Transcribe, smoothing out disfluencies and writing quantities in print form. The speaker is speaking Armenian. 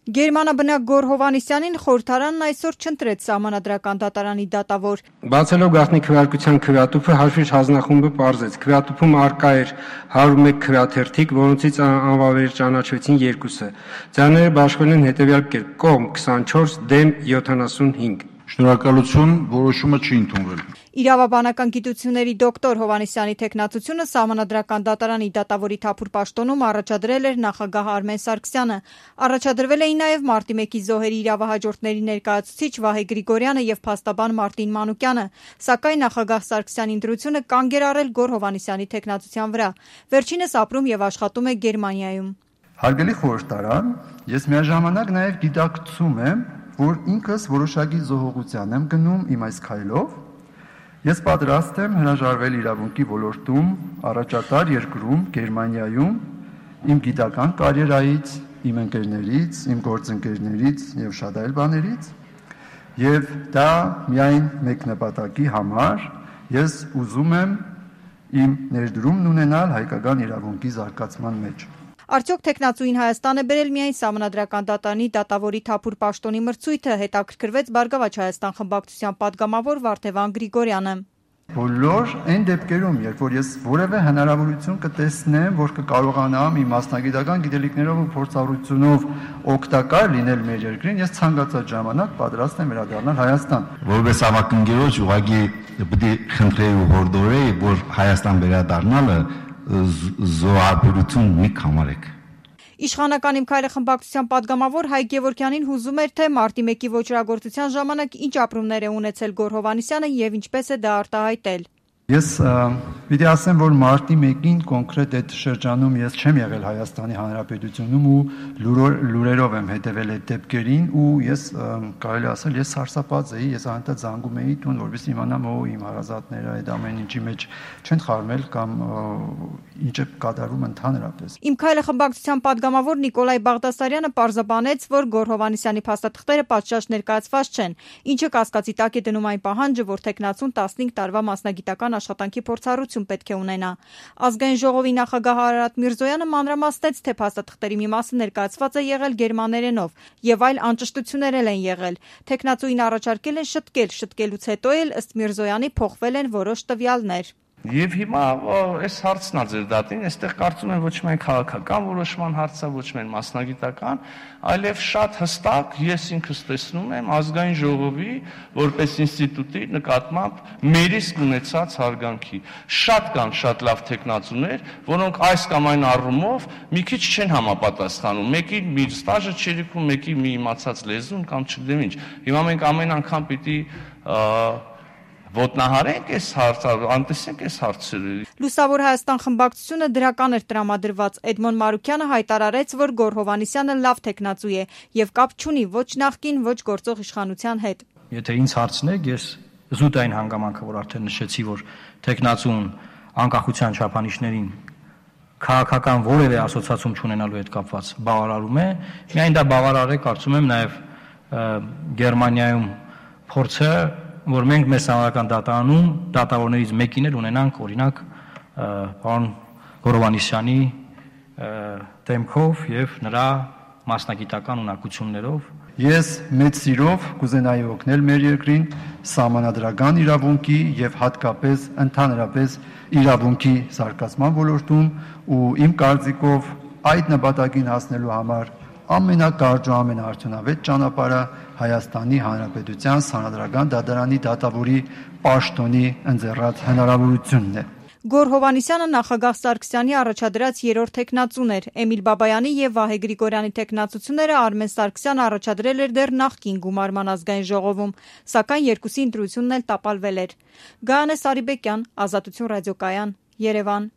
Գերմանաբնակ Գոռ Հովհաննիսյանին խորհրդարանն այսօր չընտրեց Սահմանադրական դատարանի դատավոր։ Բացելով գաղտնի քվեարկության քվեատուփը Հաշվիչ հանձնախումբը պարզեց, քվեատուփում առկա էր 101 քվեաթերթիկ, որոնցից անվավեր ճանաչվեցին 2-ը։ Ձայները բաշխվել են հետևյալ կերպ՝ կողմ 24, դեմ 75։ Շնորհակալություն, որոշումը չի ընդունվել։ Իրավաբանական գիտությունների դոկտոր Հովհաննիսյանի թեկնածությունը Սահմանադրական դատարանի դատավորի թափուր պաշտոնում առաջադրել էր նախագահ Արմեն Սարգսյանը։ Առաջադրվել էին նաև մարտի 1-ի զոհերի իրավահաջորդների ներկայացուցիչ Վահե Գրիգորյանը եւ փաստաբան Մարտին Մանուկյանը, սակայն նախագահ Սարգսյանի ընտրությունը կանգ էր առել Գոռ Հովհաննիսյանի թեկնածության վրա։ Վերջինս ապրում եւ աշխատում է Գերմանիայում։ Հարգելի խորհրդարան, ես միաժամանակ նաև գիտակցում եմ, որ ինքս որոշակի զոհողության եմ գնում իմ այս քայլով։ Ես պատրաստ եմ հրաժարվել իրավունքի ոլորտում, առաջատար երկրում, Գերմանիայում, իմ գիտական կարիերայից, իմ ընկերներից, իմ գործընկերներից եւ շատ այլ բաներից, եւ դա միայն մեկ նպատակի համար ես ուզում եմ իմ ներդրումն ունենալ հայկական իրավունքի զարգացման մեջ։ Արդյոք թեկնածուին Հայաստան է բերել միայն Սահմանադրական դատարանի դատավորի թափուր պաշտոնի մրցույթը, հետաքրքրվեց Բարգավաճ Հայաստան խմբակցության падգամավոր Վարդևան Գրիգորյանը։ Բոլոր այն դեպքերում, երբ որ ես որևէ հնարավորություն կտեսնեմ, որ կկարողանամ իմ մասնագիտական գիտելիքներով ու փորձառությունով օգտակար լինել մեր երկրին, ես ցանկացած ժամանակ պատրաստ եմ վերադառնալ Հայաստան։ Որպես ավակընկերոջ ուղղակի պետք է խնդրեի ու հորդորեի, որ Հայաստան վերադառնալը զոհաբերություն մի կամարեք։ Իշխանական Իմ քայլը խմբակցության падգամավոր Հայկ Գևորգյանին հուզում էր, թե մարտի 1-ի ոճրագործության ժամանակ ինչ ապրումներ է ունեցել Գոռ Հովհաննիսյանը եւ ինչպես է դա արտահայտել։ Ես պիտի ասեմ, որ մարտի 1-ին կոնկրետ այդ շրջանում ես չեմ եղել Հայաստանի Հանրապետությունում ու լուրերով եմ հետևել այդ դեպքերին ու ես կարելի ասել ես սարսափած էի, ես անընդհատ զանգում էի տուն, որովհետեւ իմանամ իմ հարազատները այդ ամեն ինչի մեջ չեն խառնել կամ ինչ է կատարում ընդհանրապես։ Իմ քայլը խմբակցության падգամավոր Նիկոլայ Բաղդասարյանը պարզաբանեց, որ Գոռ Հովհաննիսյանի փաստաթղթերը պատշաճ ներկայացված չեն, ինչը կասկածի տակ է դնում այն պահանջը, որ թեկնածուն 15 տարվա մասնագիտական աշխատանքի փորձառություն պետք է ունենա։ Ազգային ժողովի նախագահ Արարատ Միրզոյանը մանրամասնեց, թե փաստաթղթերի մի մասը ներկայացված է եղել գերմաներենով եւ այլ անճշտություններ են եղել։ Թեկնածուին առաջարկել են շտկելուց հետո էլ ըստ Միրզոյանի փոխվել են որոշ տվյալներ։ Եվ հիմա այս հարցն է ձեր դատին, այստեղ կարծում եմ ոչ միայն քաղաքական որոշման հարց է, ոչ միայն մասնագիտական, այլև շատ հստակ ես ինքս տեսնում եմ ազգային ժողովի որպես ինստիտուտի նկատմամբ մեր իսկ ունեցած հարգանքի։ Շատ կան շատ լավ թեկնածուներ, որոնք այս կամ այն առումով մի քիչ չեն համապատասխանում։ Մեկի մի ստաժը չերիքում, մեկի մի իմացած լեզուն կամ չգիտեմ ինչ։ Հիմա մենք ամեն անգամ պիտի ոտնահարենք այս հարցը, անտեսենք այս հարցերը։ Լուսավոր Հայաստան խմբակցությունը դրական էր տրամադրված։ Էդմոն Մարուկյանը հայտարարեց, որ Գոռ Հովհաննիսյանը լավ թեկնածու է եւ կապ չունի ոչ նախկին, ոչ գործող իշխանության հետ։ Եթե ինձ հարցնեք, ես զուտ այն հանգամանքը, որ արդեն նշեցի, որ թեկնածուն անկախության չափանիշներին քաղաքական որևէ ասոցիացիում չունենալու հետ կապված բավարարում է, միայն դա բավարար է, կարծում եմ, նաեւ Գերմանիայում փորձը որ մենք մեր Սահմանադրական դատարանում դատավորներից մեկին էլ ունենանք, օրինակ, պարոն Գոռ Հովհաննիսյանի դեմքով եւ նրա մասնագիտական ունակություններով։ Ես մեծ սիրով կուզենայի օգնել մեր երկրին սահմանադրական իրավունքի եւ հատկապես ընդհանրապես իրավունքի զարգացման ոլորտում ու իմ կարծիքով այդ նպատակին հասնելու համար ամենակարճ ու ամենաարդյունավետ ճանապարհը Հայաստանի Հանրապետության Սահմանադրական դատարանի դատավորի պաշտոնի ընձեռած հնարավորությունն է։ Գոռ Հովհաննիսյանը նախագահ Սարգսյանի առաջադրած երրորդ թեկնածուն էր։ Էմիլ Բաբայանի եւ Վահե Գրիգորյանի թեկնածությունները Արմեն Սարգսյանը առաջադրել էր դեռ նախկին գումարման ազգային ժողովում, սակայն երկուսի ընտրությունն էլ տապալվել էր։ Գայանե Սարիբեկյան, Ազատություն ռադիոկայան, Երևան։